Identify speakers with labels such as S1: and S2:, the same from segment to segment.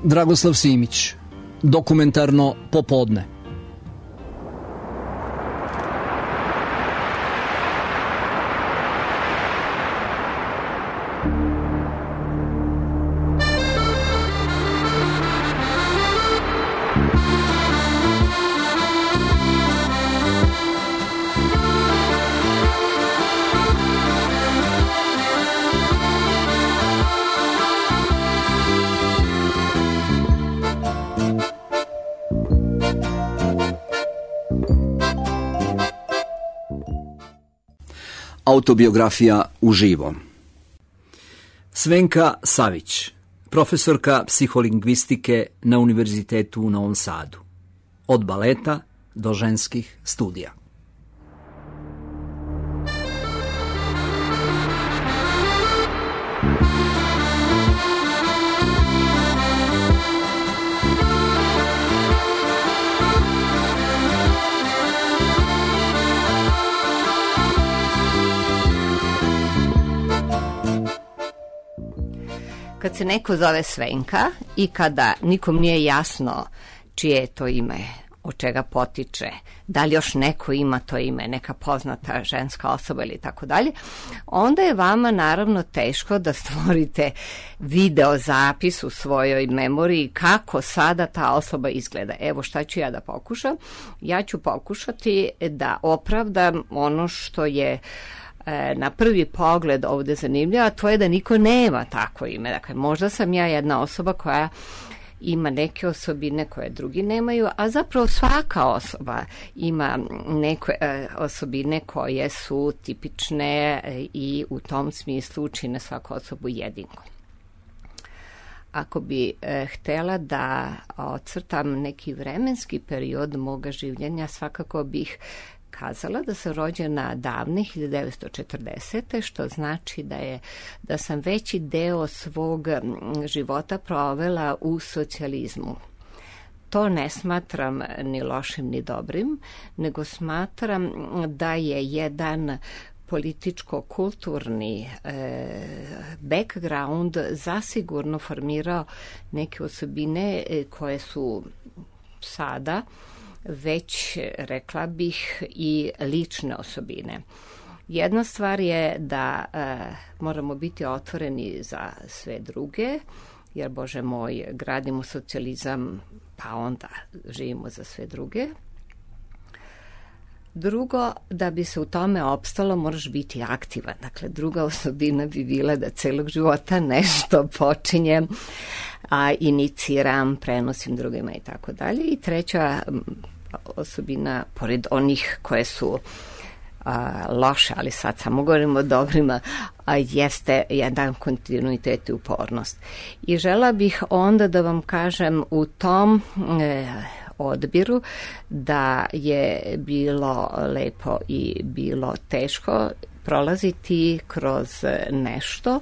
S1: Dragoslav Simić, Dokumentarno popodne. Autobiografija uživo. Svenka Savić, profesorka psiholingvistike na Univerzitetu u Novom Sadu. Od baleta do ženskih studija.
S2: Kad se neko zove Svenka i kada nikom nije jasno čije je to ime, od čega potiče, da li još neko ima to ime, neka poznata ženska osoba ili tako dalje, onda je vama naravno teško da stvorite video zapis u svojoj memoriji kako sada ta osoba izgleda. Evo šta ću ja da pokušam. Ja ću pokušati da opravdam ono što je na prvi pogled ovde zanimljivo, a to je da niko nema tako ime. Dakle, možda sam ja jedna osoba koja ima neke osobine koje drugi nemaju, a zapravo svaka osoba ima neke osobine koje su tipične i u tom smislu čine svaku osobu jedinkom. Ako bi htela da ocrtam neki vremenski period moga življenja, svakako bih kazala da sam rođena davne 1940. što znači da sam veći deo svog života provela u socijalizmu. To ne smatram ni lošim ni dobrim, nego smatram da je jedan političko-kulturni background zasigurno formirao neke osobine koje su sada već, rekla bih, i lične osobine. Jedna stvar je da moramo biti otvoreni za sve druge, jer, Bože moj, gradimo socijalizam, pa onda živimo za sve druge. Drugo, da bi se u tome opstalo, moraš biti aktivan. Dakle, druga osobina bi bila da celog života nešto počinjem, iniciram, prenosim drugima i tako dalje. I treća osobina, pored onih koje su loše, ali sad samo govorimo o dobrima, jeste jedan kontinuitet i upornost. I žela bih onda da vam kažem u tom odbiru da je bilo lepo i bilo teško prolaziti kroz nešto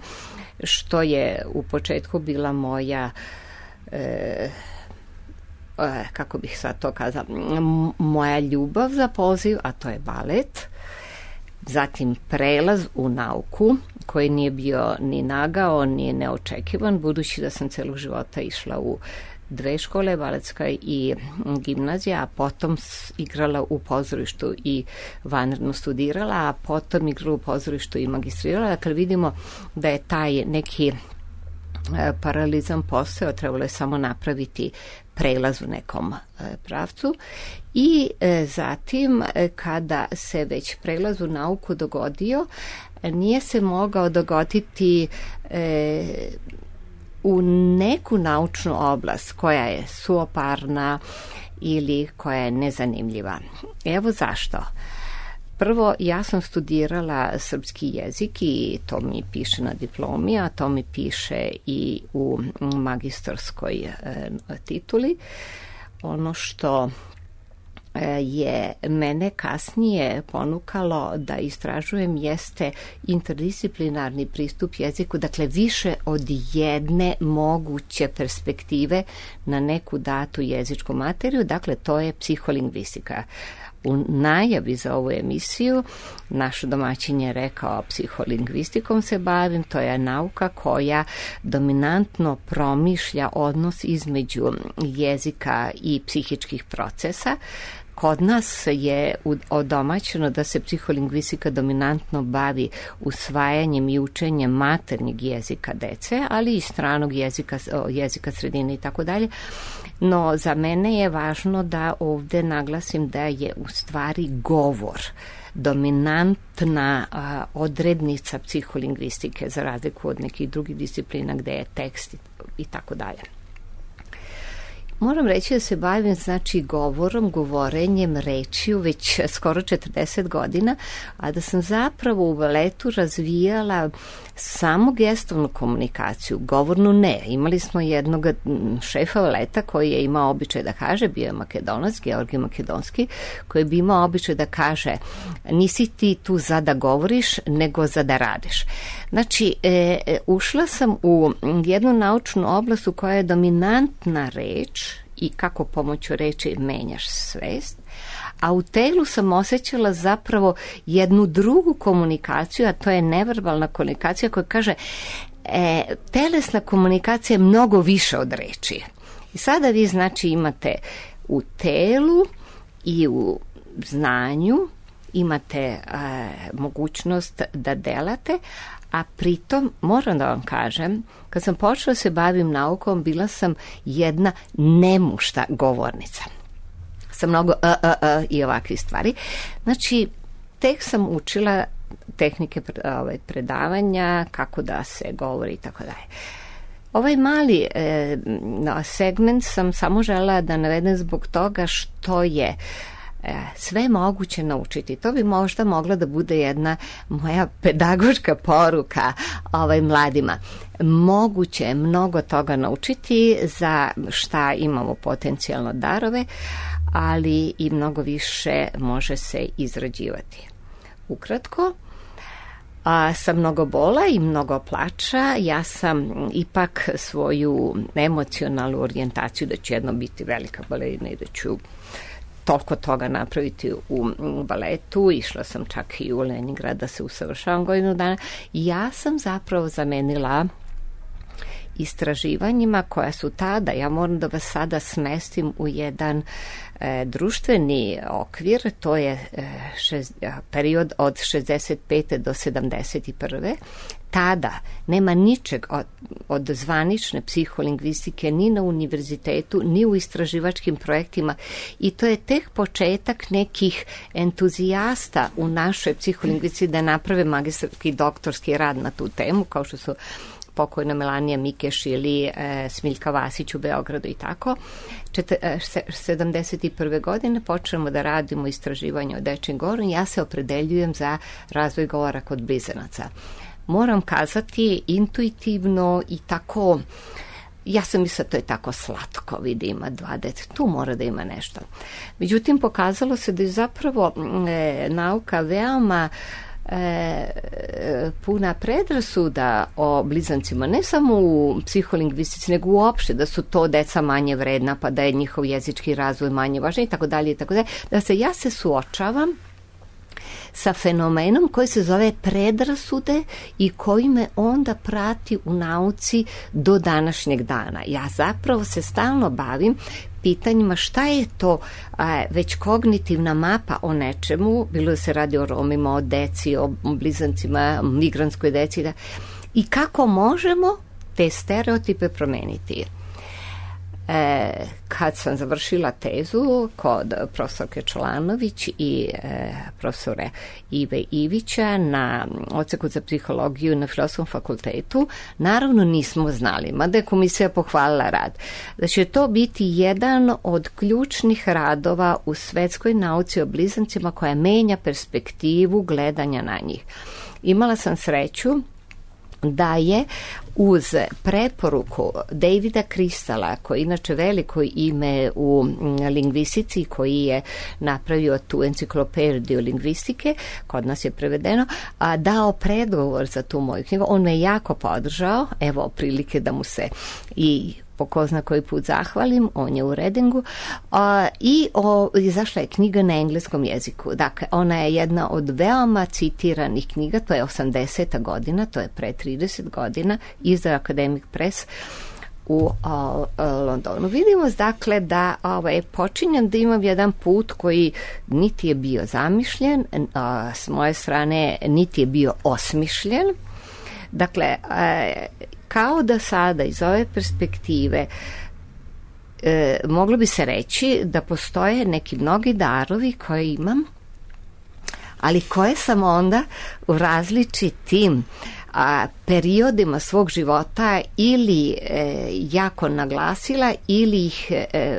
S2: što je u početku bila moja kako bih sad to kazala, moja ljubav za poziv, a to je balet, zatim prelaz u nauku koji nije bio ni nagao, ni neočekivan, budući da sam celog života išla u dve škole, baletska i gimnazija, a potom igrala u pozorištu i vanredno studirala, a potom igrala u pozorištu i magistrirala. Dakle, vidimo da je taj neki paralizam postojao, trebalo je samo napraviti prelaz u nekom pravcu. I zatim, kada se već prelaz u nauku dogodio, nije se mogao dogoditi u neku naučnu oblast koja je suoparna ili koja je nezanimljiva. Evo zašto. Prvo, ja sam studirala srpski jezik i to mi piše na diplomi, a to mi piše i u magistarskoj tituli. Ono što je mene kasnije ponukalo da istražujem jeste interdisciplinarni pristup jeziku, dakle više od jedne moguće perspektive na neku datu jezičku materiju, dakle to je psiholingvistika. u najavi za ovu emisiju, naš domaćin je rekao psiholingvistikom se bavim, to je nauka koja dominantno promišlja odnos između jezika i psihičkih procesa. Kod nas je odomaćeno da se psiholingvistika dominantno bavi usvajanjem i učenjem maternjeg jezika dece, ali i stranog jezika sredine i tako dalje. No, za mene je važno da ovde naglasim da je u stvari govor dominantna odrednica psiholingvistike za razliku od nekih drugih disciplina gde je tekst i tako dalje. Moram reći da se bavim govorom, govorenjem, rečju već skoro 40 godina, a da sam zapravo u baletu razvijala samo gestovnu komunikaciju, govornu ne. Imali smo jednog šefa baleta koji je imao običaj da kaže, bio je Makedonac, Georgij Makedonski, koji bi imao običaj da kaže nisi ti tu za da govoriš, nego za da radiš. Znači, ušla sam u jednu naučnu oblast u kojoj je dominantna reč i kako pomoću reči menjaš svest, a u telu sam osjećala zapravo jednu drugu komunikaciju, a to je neverbalna komunikacija koja kaže telesna komunikacija je mnogo više od reči. I sada vi imate u telu i u znanju imate mogućnost da delate, a pritom, moram da vam kažem, kad sam počela se bavim naukom, bila sam jedna nemušta govornica. Sa mnogo i ovakvih stvari. Znači, tek sam učila tehnike predavanja, kako da se govori i tako dalje. Ovaj mali segment sam samo želela da navedem zbog toga što je sve moguće naučiti. To bi možda mogla da bude jedna moja pedagoška poruka mladima. Moguće je mnogo toga naučiti za šta imamo potencijalno darove, ali i mnogo više može se izrađivati. Ukratko, sa mnogo bola i mnogo plača, ja sam ipak svoju emocionalnu orijentaciju da ću jedno biti velika balerina i da ću toliko toga napraviti u baletu. Išla sam čak i u Leningrad da se usavršavam godinu dana. Ja sam zapravo zamenila istraživanjima koja su tada, ja moram da vas sada smestim u jedan društveni okvir, to je period od 65. do 71. Tada nema ničeg od zvanične psiholingvistike ni na univerzitetu, ni u istraživačkim projektima i to je tek početak nekih entuzijasta u našoj psiholingvistici da naprave magistarski doktorski rad na tu temu, kao što su pokojna Melanija Mikeš ili Smiljka Vasić u Beogradu i tako. 71. godine počnemo da radimo istraživanje o dečjem govoru i ja se opredeljujem za razvoj govora kod blizanaca. Moram kazati intuitivno i tako, ja sam mislila to je tako slatko, vidi ima 2 dete, tu mora da ima nešto. Međutim, pokazalo se da je zapravo nauka veoma puna predrasuda o blizancima, ne samo u psiholingvistici, nego uopšte da su to deca manje vredna, pa da je njihov jezički razvoj manje važan i tako dalje. Da ja se suočavam sa fenomenom koji se zove predrasude i koji me onda prati u nauci do današnjeg dana. Ja zapravo se stalno bavim pitanjima šta je to već kognitivna mapa o nečemu, bilo da se radi o Romima, o deci, o blizancima, migrantskoj deci, i kako možemo te stereotipe promeniti. Kad sam završila tezu kod profesorke Čolanović i profesore Ive Ivića na odseku za psihologiju na Filozofskom fakultetu, naravno nismo znali, mada je komisija pohvalila rad, da će to biti jedan od ključnih radova u svetskoj nauci o blizancima koja menja perspektivu gledanja na njih. Imala sam sreću da je uz preporuku Davida Kristala, koji je inače veliko ime u lingvistici, koji je napravio tu enciklopediju lingvistike, kod nas je prevedeno, dao predgovor za tu moju knjigu. On me jako podržao, evo prilike da mu se i po ko zna koji put zahvalim, on je u Redingu, izašla je knjiga na engleskom jeziku. Dakle, ona je jedna od veoma citiranih knjiga, to je 80. godina, to je pre 30 godina, izdao Academic Press u Londonu. Vidimo dakle da počinjem da imam jedan put koji niti je bio zamišljen, s moje strane niti je bio osmišljen. Dakle, kao da sada iz ove perspektive moglo bi se reći da postoje neki mnogi darovi koje imam, ali koje sam onda u različitim periodima svog života ili jako naglasila ili ih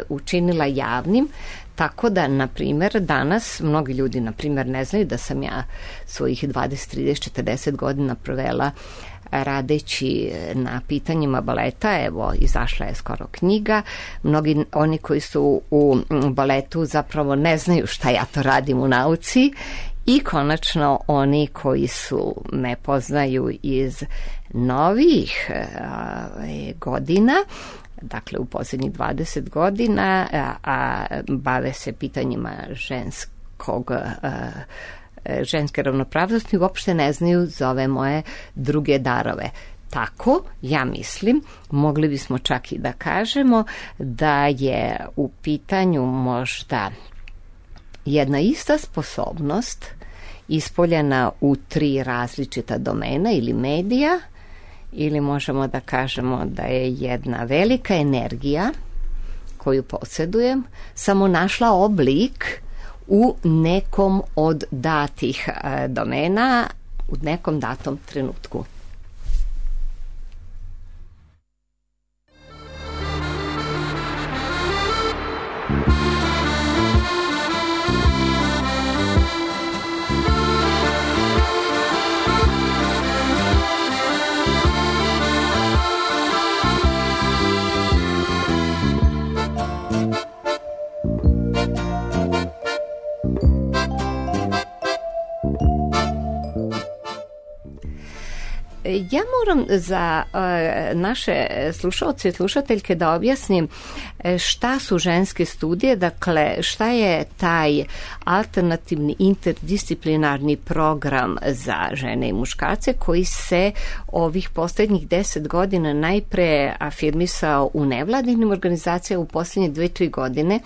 S2: učinila javnim, tako da, na primjer, danas mnogi ljudi, na primjer, ne znaju da sam ja svojih 20, 30, 40 godina provela radeći na pitanjima baleta. Evo, izašla je skoro knjiga. Mnogi oni koji su u baletu zapravo ne znaju šta ja to radim u nauci. I konačno oni koji su me poznaju iz novih godina, dakle u posljednjih 20 godina, a bave se pitanjima ženske ravnopravnosti, uopšte ne znaju za ove moje druge darove. Tako, ja mislim, mogli bismo čak i da kažemo da je u pitanju možda jedna ista sposobnost ispoljena u 3 različita domena ili medija, ili možemo da kažemo da je jedna velika energija koju posjedujem samo našla oblik u nekom od datih domena u nekom datom trenutku. Ja moram za naše slušalce i slušateljke da objasnim šta su ženske studije, dakle šta je taj alternativni interdisciplinarni program za žene i muškarce koji se ovih posljednjih 10 godina najpre afirmisao u nevladinim organizacijama, u posljednje 2-3 godine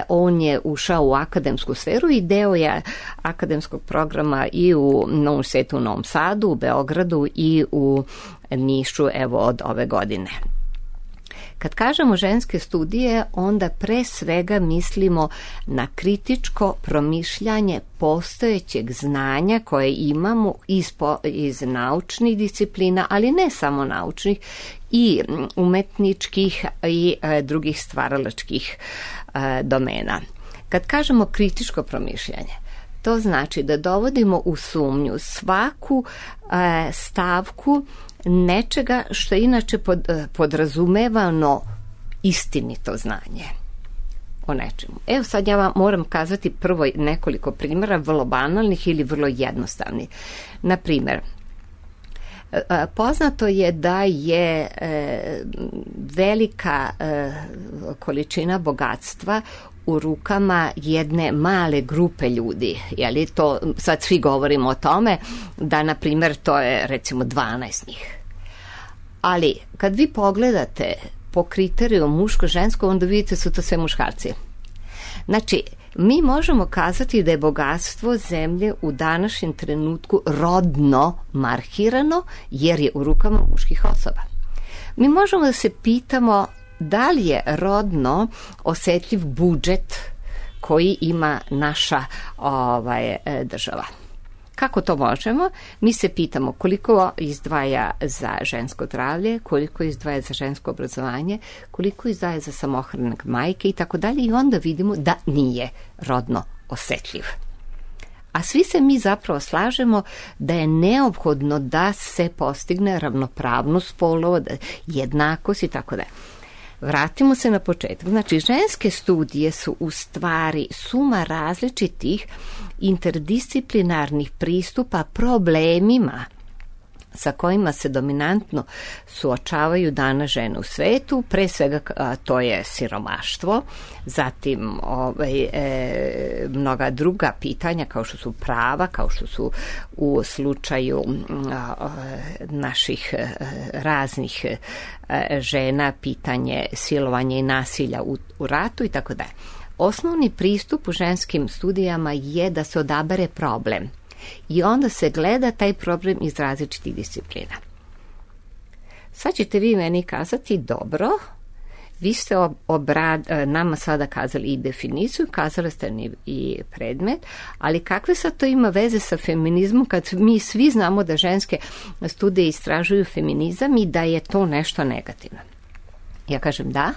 S2: on je ušao u akademsku sferu i deo je akademskog programa i u Novom Svetu, u Novom Sadu, u Beogradu i u Nišu, evo od ove godine. Kad kažemo ženske studije, onda pre svega mislimo na kritičko promišljanje postojećeg znanja koje imamo iz naučnih disciplina, ali ne samo naučnih, i umetničkih i drugih stvaralačkih domena. Kad kažemo kritičko promišljanje, to znači da dovodimo u sumnju svaku stavku nečega što je inače podrazumevano istinito znanje o nečemu. Evo sad ja vam moram kazati prvo nekoliko primjera, vrlo banalnih ili vrlo jednostavnih. Na primjer, poznato je da je velika količina bogatstva u rukama jedne male grupe ljudi. Jeli to, sad svi govorimo o tome da, na primjer, to je recimo 12 njih. Ali kad vi pogledate po kriteriju muško-žensko, onda vidite su to sve muškarci. Znači, mi možemo kazati da je bogatstvo zemlje u današnjem trenutku rodno markirano jer je u rukama muških osoba. Mi možemo da se pitamo da li je rodno osjetljiv budžet koji ima naša država. Kako to možemo? Mi se pitamo koliko izdvaja za žensko zdravlje, koliko izdvaja za žensko obrazovanje, koliko izdvaja za samohrane majke i tako dalje, i onda vidimo da nije rodno osjetljiv. A svi se mi zapravo slažemo da je neophodno da se postigne ravnopravnost spolova, jednakost i tako dalje. Vratimo se na početak. Znači, ženske studije su u stvari suma različitih interdisciplinarnih pristupa problemima sa kojima se dominantno suočavaju danas žene u svetu, pre svega to je siromaštvo, zatim mnoga druga pitanja kao što su prava, kao što su u slučaju naših raznih žena pitanje silovanja i nasilja u ratu i tako dalje. Osnovni pristup u ženskim studijama je da se odabere problem i onda se gleda taj problem iz različitih disciplina. Sad ćete vi meni kazati, dobro, vi ste nama sada kazali i definiciju, kazali ste i predmet, ali kakve sad to ima veze sa feminizmom kad mi svi znamo da ženske studije istražuju feminizam i da je to nešto negativno? Ja kažem da,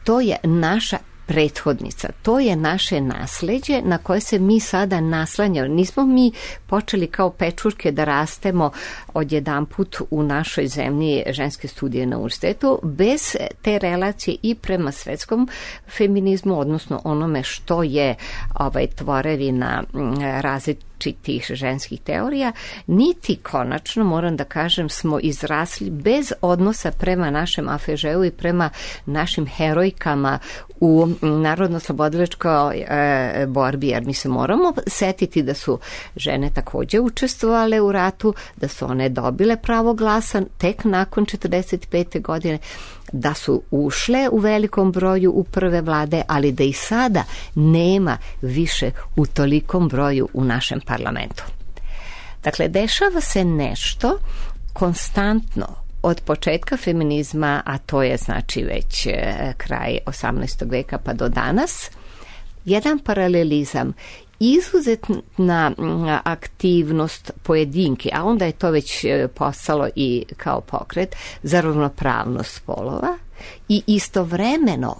S2: to je naša prethodnica, to je naše nasleđe na koje se mi sada naslanjamo. Nismo mi počeli kao pečurke da rastemo odjedanput u našoj zemlji ženske studije na univerzitetu bez te relacije i prema svetskom feminizmu, odnosno onome što je tvorevina različitih ženskih teorija, niti konačno, moram da kažem, smo izrasli bez odnosa prema našem afežeu i prema našim herojkama u narodno-slobodilačkoj borbi, jer mi se moramo setiti da su žene također učestvovale u ratu, da su one dobile pravo glasa tek nakon 45. godine, da su ušle u velikom broju u prve vlade, ali da i sada nema više u tolikom broju u našem parlamentu. Dakle, dešava se nešto konstantno od početka feminizma, a to je znači već kraj 18. veka pa do danas, jedan paralelizam, izuzetna aktivnost pojedinke, a onda je to već postalo i kao pokret za ravnopravnost spolova i istovremeno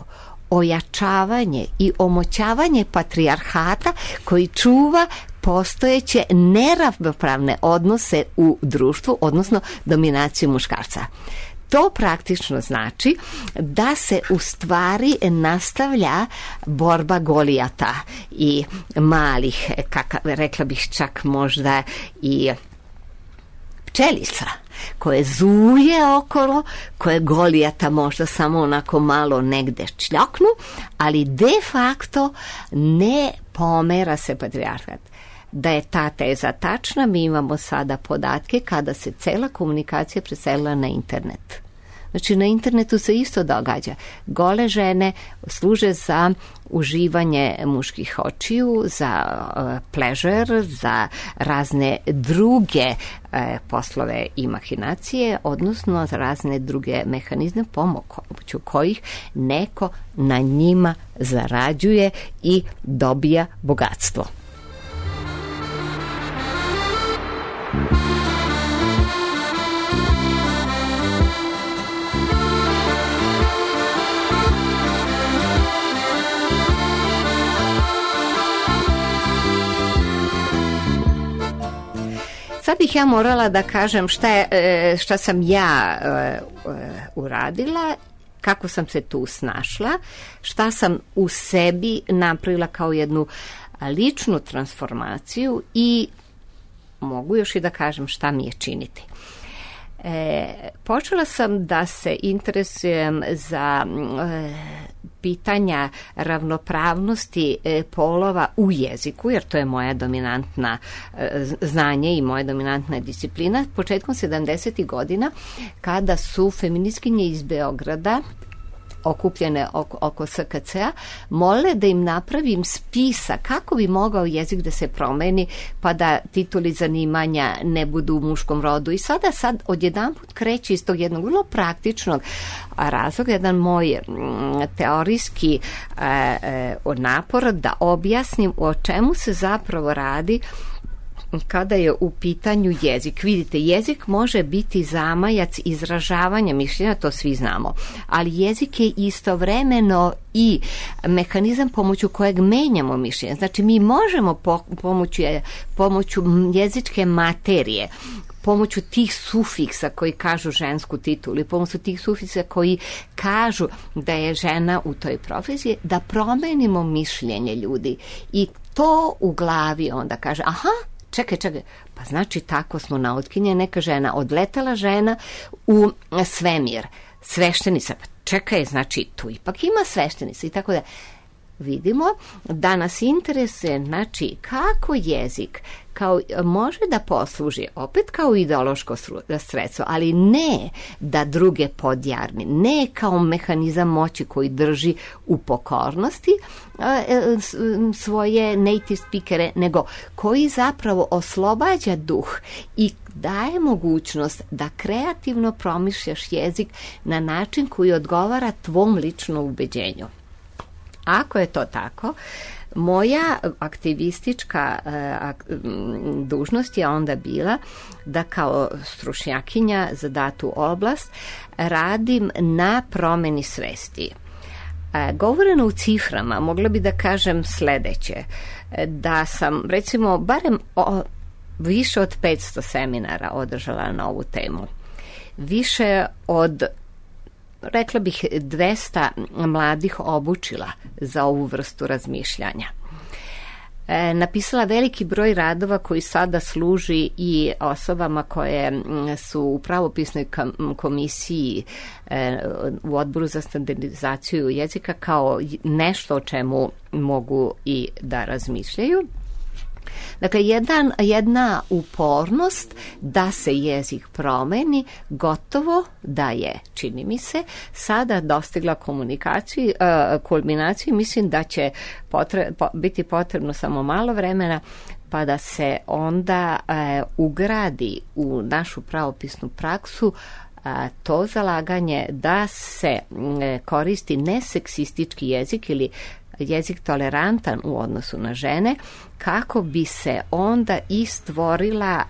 S2: ojačavanje i omoćavanje patrijarhata koji čuva postojeće neravnopravne odnose u društvu, odnosno dominaciju muškarca. To praktično znači da se u stvari nastavlja borba Golijata i malih, rekla bih čak možda i pčelica, koje zuje okolo, koje Golijata možda samo onako malo negde čljoknu, ali de facto ne pomera se patrijarhat. Da je ta teza tačna, mi imamo sada podatke kada se cela komunikacija preselila na internet. Znači, na internetu se isto događa. Gole žene služe za uživanje muških očiju, za pleasure, za razne druge poslove i mahinacije, odnosno za razne druge mehanizme pomoću kojih neko na njima zarađuje i dobija bogatstvo. Sad bih ja morala da kažem šta sam ja uradila, kako sam se tu snašla, šta sam u sebi napravila kao jednu ličnu transformaciju i mogu još i da kažem šta mi je činiti. Počela sam da se interesujem za pitanja ravnopravnosti polova u jeziku, jer to je moja dominantna znanje i moja dominantna disciplina. Početkom 70. godina, kada su feministkinje iz Beograda okupljene oko SKC-a, mole da im napravim spisak kako bi mogao jezik da se promeni pa da tituli zanimanja ne budu u muškom rodu. I sad odjedanput kreće iz tog jednog vrlo praktičnog razloga, jedan moj teorijski napor da objasnim o čemu se zapravo radi kada je u pitanju jezik. Vidite, jezik može biti zamajac izražavanja mišljenja, to svi znamo, ali jezik je istovremeno i mehanizam pomoću kojeg menjamo mišljenje. Znači, mi možemo pomoću jezičke materije, pomoću tih sufiksa koji kažu žensku titulu i pomoću tih sufiksa koji kažu da je žena u toj profesiji, da promenimo mišljenje ljudi. I to u glavi onda kaže, aha, čekaj, pa znači tako smo nautkinje, neka žena, odletela žena u svemir, sveštenica, pa čekaj, znači tu ipak ima sveštenica i tako da. Vidimo da nas interesuje, znači, kako jezik može da posluži opet kao ideološko sredstvo, ali ne da druge podjarni, ne kao mehanizam moći koji drži u pokornosti svoje native speakere, nego koji zapravo oslobađa duh i daje mogućnost da kreativno promišljaš jezik na način koji odgovara tvom ličnom ubeđenju. Ako je to tako, moja aktivistička dužnost je onda bila da kao stručnjakinja za datu oblast radim na promeni svesti. Govoreno u ciframa, mogla bi da kažem sledeće, da sam recimo barem više od 500 seminara održala na ovu temu. Više od, rekla bih, 200 mladih obučila za ovu vrstu razmišljanja. Napisala veliki broj radova koji sada služi i osobama koje su u pravopisnoj komisiji u odboru za standardizaciju jezika kao nešto o čemu mogu i da razmišljaju. Dakle, jedna upornost da se jezik promeni, gotovo da je, čini mi se, sada dostigla kulminaciju. Mislim da će biti potrebno samo malo vremena pa da se onda ugradi u našu pravopisnu praksu to zalaganje da se koristi neseksistički jezik ili jezik tolerantan u odnosu na žene, kako bi se onda i stvorila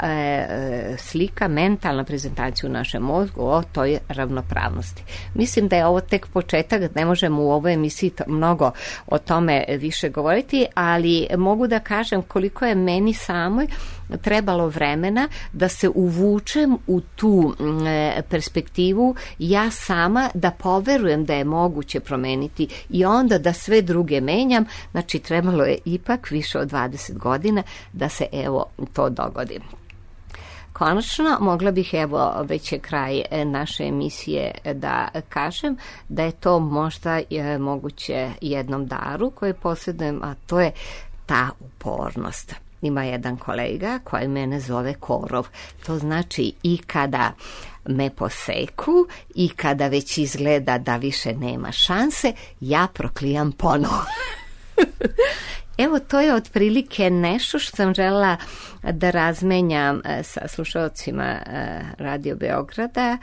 S2: slika, mentalna prezentacija u našem mozgu o toj ravnopravnosti. Mislim da je ovo tek početak, ne možemo u ovoj emisiji mnogo o tome više govoriti, ali mogu da kažem koliko je meni samoj trebalo vremena da se uvučem u tu perspektivu, ja sama da poverujem da je moguće promeniti i onda da sve druge menjam. Znači, trebalo je ipak više od 20 godina da se evo to dogodi. Konačno, mogla bih, evo, već je kraj naše emisije, da kažem da je to možda moguće jednom daru koje posjedujem, a to je ta upornost. Ima jedan kolega koji mene zove korov. To znači i kada me poseku i kada već izgleda da više nema šanse, ja proklijam ponovo. Evo, to je otprilike nešto što sam želela da razmenjam sa slušalcima Radio Beograda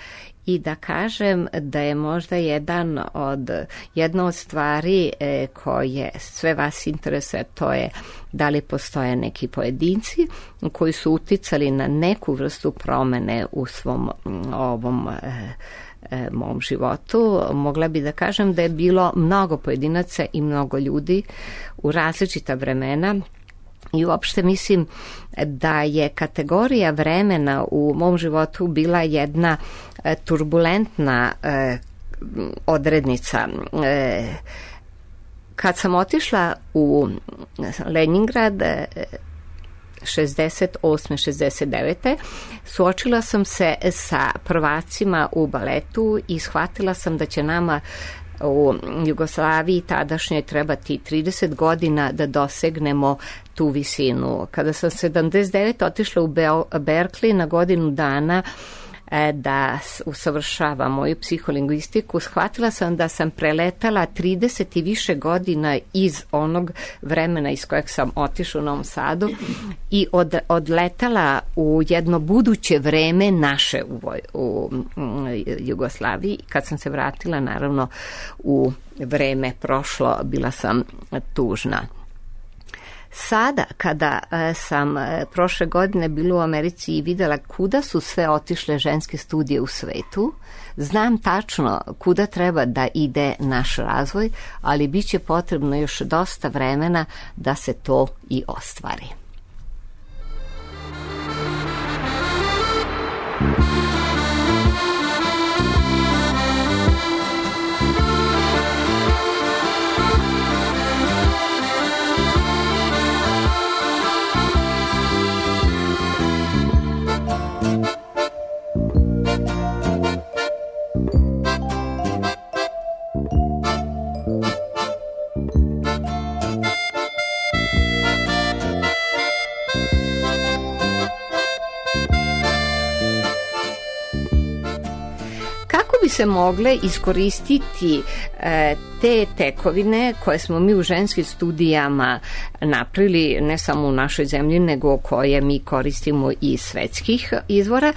S2: i da kažem da je možda jedna od stvari koje sve vas interesuje, to je da li postoje neki pojedinci koji su uticali na neku vrstu promene u svom ovom mom životu. Mogla bi da kažem da je bilo mnogo pojedinaca i mnogo ljudi u različita vremena i uopšte mislim da je kategorija vremena u mom životu bila jedna turbulentna odrednica. Kad sam otišla u Leningrad 68. 69. suočila sam se sa prvacima u baletu i shvatila sam da će nama u Jugoslaviji tadašnjoj trebati 30 godina da dosegnemo tu visinu. Kada sam 79. otišla u Berkeley na godinu dana da usavršavam moju psiholingvistiku, shvatila sam da sam preletala 30 i više godina iz onog vremena iz kojeg sam otišla u Novom Sadu i odletala u jedno buduće vreme naše u Jugoslaviji. Kad sam se vratila, naravno, u vreme prošlo, bila sam tužna. Sada, kada sam prošle godine bila u Americi i videla kuda su sve otišle ženske studije u svetu, znam tačno kuda treba da ide naš razvoj, ali bit će potrebno još dosta vremena da se to i ostvari. Bi se mogle iskoristiti te tekovine koje smo mi u ženskim studijama napravili, ne samo u našoj zemlji, nego koje mi koristimo iz svetskih izvora,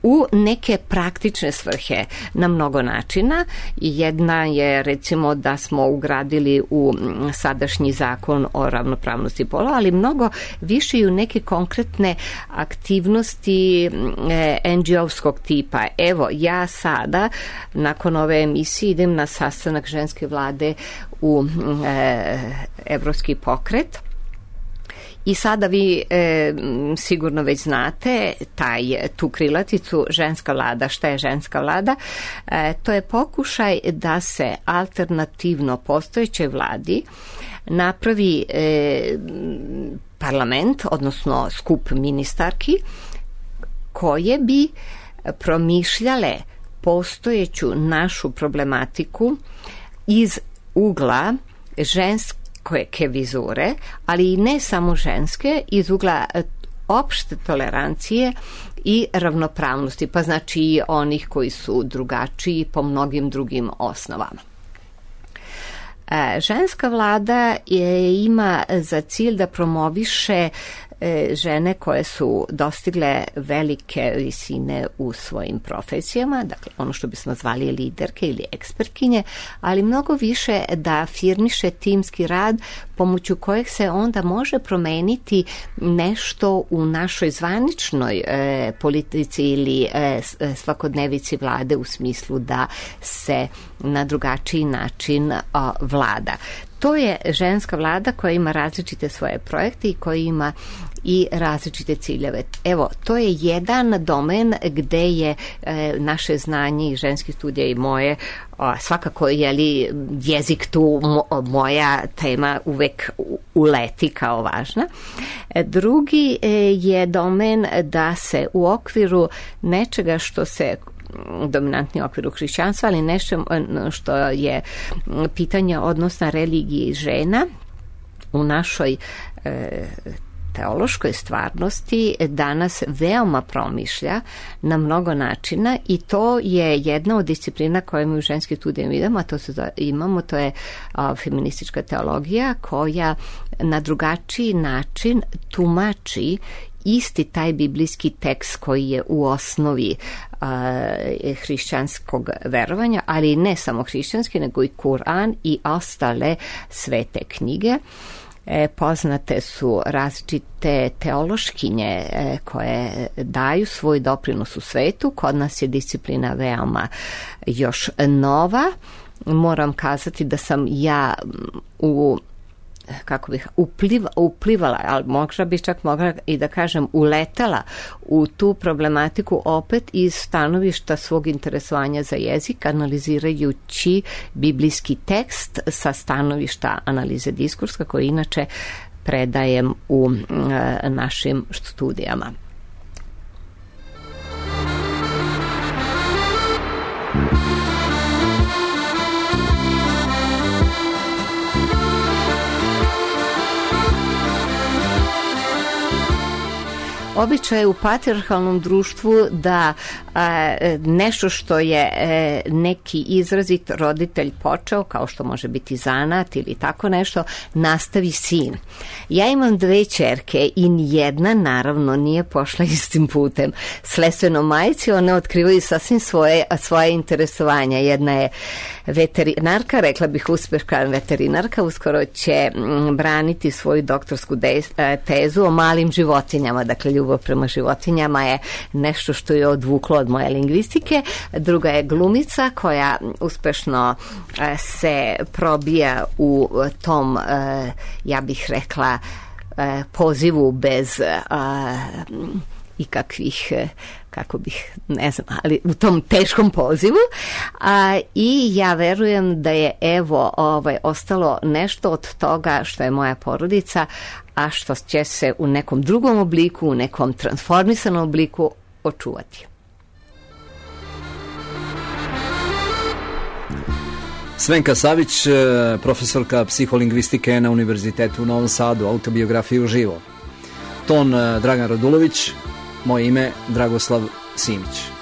S2: u neke praktične svrhe na mnogo načina. Jedna je recimo da smo ugradili u sadašnji zakon o ravnopravnosti polova, ali mnogo više i u neke konkretne aktivnosti NGO-skog tipa. Evo, ja sada nakon ove emisije idem na sastanak ženske vlade u Evropski pokret. I sada vi sigurno već znate tu krilaticu ženska vlada. Šta je ženska vlada? To je pokušaj da se alternativno postojećoj vladi napravi parlament, odnosno skup ministarki koje bi promišljale postojeću našu problematiku iz ugla ženske vizure, ali i ne samo ženske, iz ugla opšte tolerancije i ravnopravnosti, pa znači i onih koji su drugačiji po mnogim drugim osnovama. Ženska vlada ima za cilj da promoviše žene koje su dostigle velike visine u svojim profesijama, dakle ono što bismo zvali liderke ili ekspertkinje, ali mnogo više da afirmiše timski rad pomoću kojeg se onda može promeniti nešto u našoj zvaničnoj politici ili svakodnevici vlade, u smislu da se na drugačiji način vlada. To je ženska vlada koja ima različite svoje projekte i koja ima i različite ciljeve. Evo, to je jedan domen gde je naše znanje i ženski studija i moje, svakako je li jezik tu moja tema uvek uleti kao važna. Drugi je domen da se u okviru nečega što se dominantni okvir u hrišćanstva, ali nešto što je pitanje odnosa religije i žena u našoj teološkoj stvarnosti danas veoma promišlja na mnogo načina i to je jedna od disciplina koje mi u ženskim studijama imamo, to je feministička teologija koja na drugačiji način tumači isti taj biblijski tekst koji je u osnovi hrišćanskog verovanja, ali ne samo hrišćanski, nego i Kuran i ostale svete knjige. Poznate su različite teološkinje koje daju svoj doprinos u svetu. Kod nas je disciplina veoma još nova. Moram kazati da sam ja uplivala, ali možda bih čak mogla i da kažem uletela u tu problematiku opet iz stanovišta svog interesovanja za jezik, analizirajući biblijski tekst sa stanovišta analize diskursa koji inače predajem u našim studijama. Običaj je u patrijarhalnom društvu da nešto što je neki izrazit roditelj počeo, kao što može biti zanat ili tako nešto, nastavi sin. Ja imam 2 ćerke i nijedna naravno nije pošla istim putem. Sledstveno majci one otkrivaju sasvim svoje interesovanja. Jedna je veterinarka, rekla bih uspešna veterinarka, uskoro će braniti svoju doktorsku tezu o malim životinjama, dakle ljubav prema životinjama je nešto što je odvuklo od moje lingvistike. Druga je glumica koja uspešno se probija u tom, ja bih rekla, pozivu bez ikakvih, kako bih, ne znam, ali u tom teškom pozivu, i ja verujem da je ostalo nešto od toga što je moja porodica, a što će se u nekom drugom obliku, u nekom transformisanom obliku očuvati.
S1: Svenka Savić, profesorka psiholingvistike na Univerzitetu u Novom Sadu, autobiografiju uživo. Ton Dragan Radulović, moje ime Dragoslav Simić.